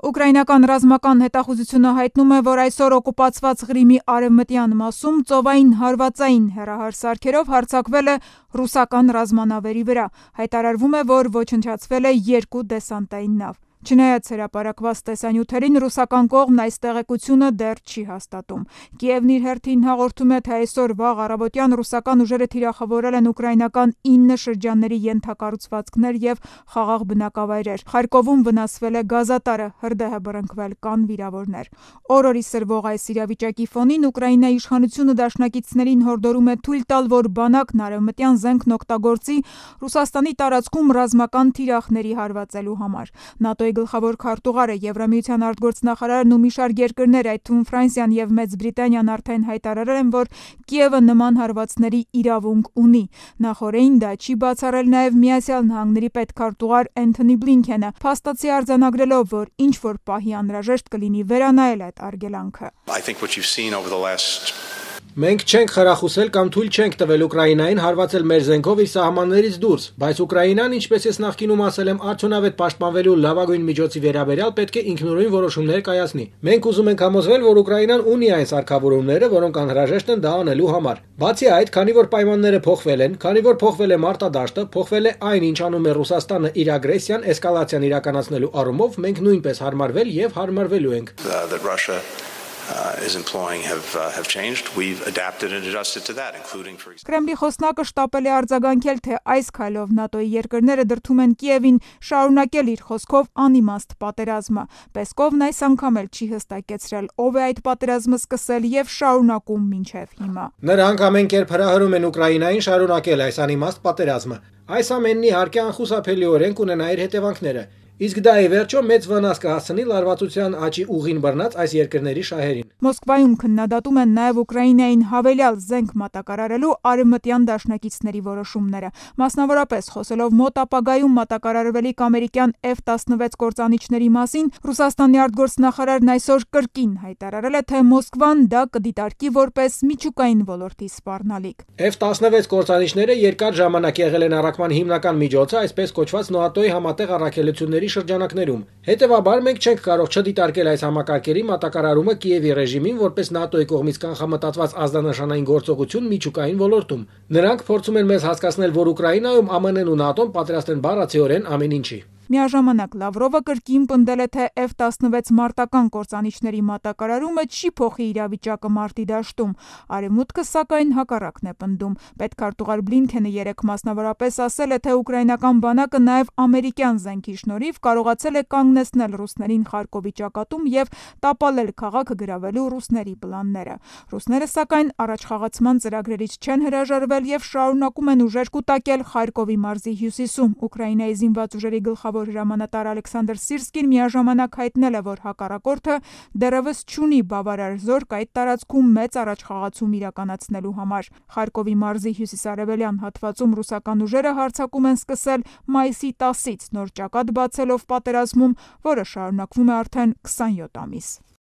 Ուկրաինական ռազմական հետախուզությունը հայտնում է, որ այսօր օկուպացված Ղրիմի արևմտյան մասում ծովային հարվածային հեռահար սարքերով հարձակվել է ռուսական ռազմանավերի վրա։ Հայտարարվում է, որ ոչնչացվել է 2 դեսանտային նավ։ Չնայած հրապարակված տեսանյութերին, ռուսական կողմն այս տեղեկությունը դեռ չի հաստատում։ Կիևն իր հերթին հաղորդում է, թե այսօր վաղ առավոտյան ռուսական ուժերը թիրախավորել են ուկրաինական 9 շրջանների ենթակառուցվածքներ և խաղաղ բնակավայրեր։ Խարկովում վնասվել է գազատարը, հրդեհ է բռնկվել, կան վիրավորներ։ Օր-օրի սրվող այս իրավիճակի ֆոնին Ուկրաինայի իշխանությունը դաշնակիցներին հորդորում է թույլ տալ, որ բանակն արևմտյան զենքն օգտագործի Ռուսաստանի տարածքում ռազմական թիրախների հարվածելու համար։ ՆԱՏՕ-ի գլխավոր քարտուղարը, Եվրամիության արտգործնախարարն ու մի շարք երկրներ, այդ թվում Ֆրանսիան և Մեծ Բրիտանիան արդեն հայտարարել են, որ Կիևը նման հարվածների իրավունք ունի։ Նախօրեին դա չի բացառել նաև Միացյալ Նահանգների պետքարտուղար Էնթոնի Բլինքենը, փաստացի արձանագրելով, որ ինչ-որ պահի անհրաժեշտ կլինի վերանայել այդ արգելանքը։ Մենք չենք խրախուսել կամ թույլ չենք տվել Ուկրաինային հարվածել մեր զենքով իր սահմաններից դուրս, բայց Ուկրաինան, ինչպես ես նախկինում ասել եմ, արդյունավետ պաշտպանվելու լավագույն միջոցի վերաբերյալ պետք է ինքնուրույն որոշումներ կայացնի։ Մենք ուզում ենք համոզվել, որ Ուկրաինան ունի այն սարքավորումները, որոնք անհրաժեշտ են դա անելու համար։ Բացի այդ, քանի որ պայմանները փոխվել են, քանի որ փոխվել է մարտադաշտը, փոխվել է այն, ինչ անում է Ռուսաստանը իր ագրեսիան, էսկալացիան իրականացնելու առումով, մենք նույնպես հարմարվել և հարմարվելու ենք։ Կրեմլի խոսնակը շտապել է արձագանքել, թե այս քայլով ՆԱՏՕ-ի երկրները դրդում են Կիևին շարունակել իր խոսքով անիմաստ պատերազմը։ Պեսկովն այս անգամ էլ չի հստակեցրել, ով է այդ պատերազմը սկսել և շարունակում մինչև հիմա։ Նրանք ամեն կերպ հրահրում են Ուկրաինային շարունակել այս անիմաստ պատերազմը։ Այս ամենն իհարկե անխուսափելիորեն կունենա իր հետևանքները։ Իսկ դա ի վերջո մեծ վնաս կհասցնի լարվածության աճի ուղին բռնած այս երկրների շահերին։ Մոսկվայում քննադատում են նաև Ուկրաինային հավելյալ զենք մատակարարելու արևմտյան դաշնակիցների որոշումները։ Մասնավորապես, խոսելով մոտ ապագայում մատակարարվելիք ամերիկյան F-16 կործանիչների մասին, Ռուսաստանի արտգործնախարարն այսօր կրկին հայտարարել է, թե Մոսկվան դա կդիտարկի որպես միջուկային ոլորտի սպառնալիք։ F-16 կործանիչները երկար ժամանակ եղել են առաքման հիմնական միջոցը այսպես կոչված ՆԱՏՕ-ի համատեղ առաքելությունների շրջանակներում։ Հետևաբար մենք չենք կարող չդիտարկել այս համակարգերի մատակարարումը Կիևի ռեժիմին որպես ՆԱՏՕ-ի կողմից կանխամտածված ազդանշանային գործողություն միջուկային ոլորտում։ Նրանք փորձում են մեզ հասկացնել, որ Ուկրաինայում ԱՄՆ-ն ու ՆԱՏՕ-ն պատրաստ են բառացիորեն ամեն ինչի։ Միաժամանակ Լավրովը կրկին պնդել է, թե F-16 մարտական կործանիչների մատակարարումը չի փոխի իրավիճակը մարտի դաշտում։ Արևմուտքը սակայն հակառակն է պնդում։ Պետքարտուղար Բլինքենը երեկ մասնավորապես ասել է, թե ուկրաինական բանակը նաև ամերիկյան զենքի շնորհիվ կարողացել է կանգնեցնել ռուսներին Խարկովի ճակատում և տապալել քաղաքը գրավելու ռուսների պլանները։ Ռուսները սակայն առաջխաղացման ծրագրերից չեն հրաժարվել և շարունակում են ուժեր կուտակել Խարկովի մարզի հյուսիսում։ Ուկրաինայի զինված ուժերի գլխավոր հրամանատար Ալեքսանդր Սիրսկին միաժամանակ հայտնել է, որ հակառակորդը դեռևս չունի բավարար զորք այդ տարածքում մեծ առաջխաղացում իրականացնելու համար։ Խարկովի մարզի հյուսիսարևելյան հատվածում ռուսական ուժերը հարձակում են սկսել մայիսի 10-ից նոր ճակատ բացելով պատերազմում, որը շարունակվում է արդեն 27 ամիս։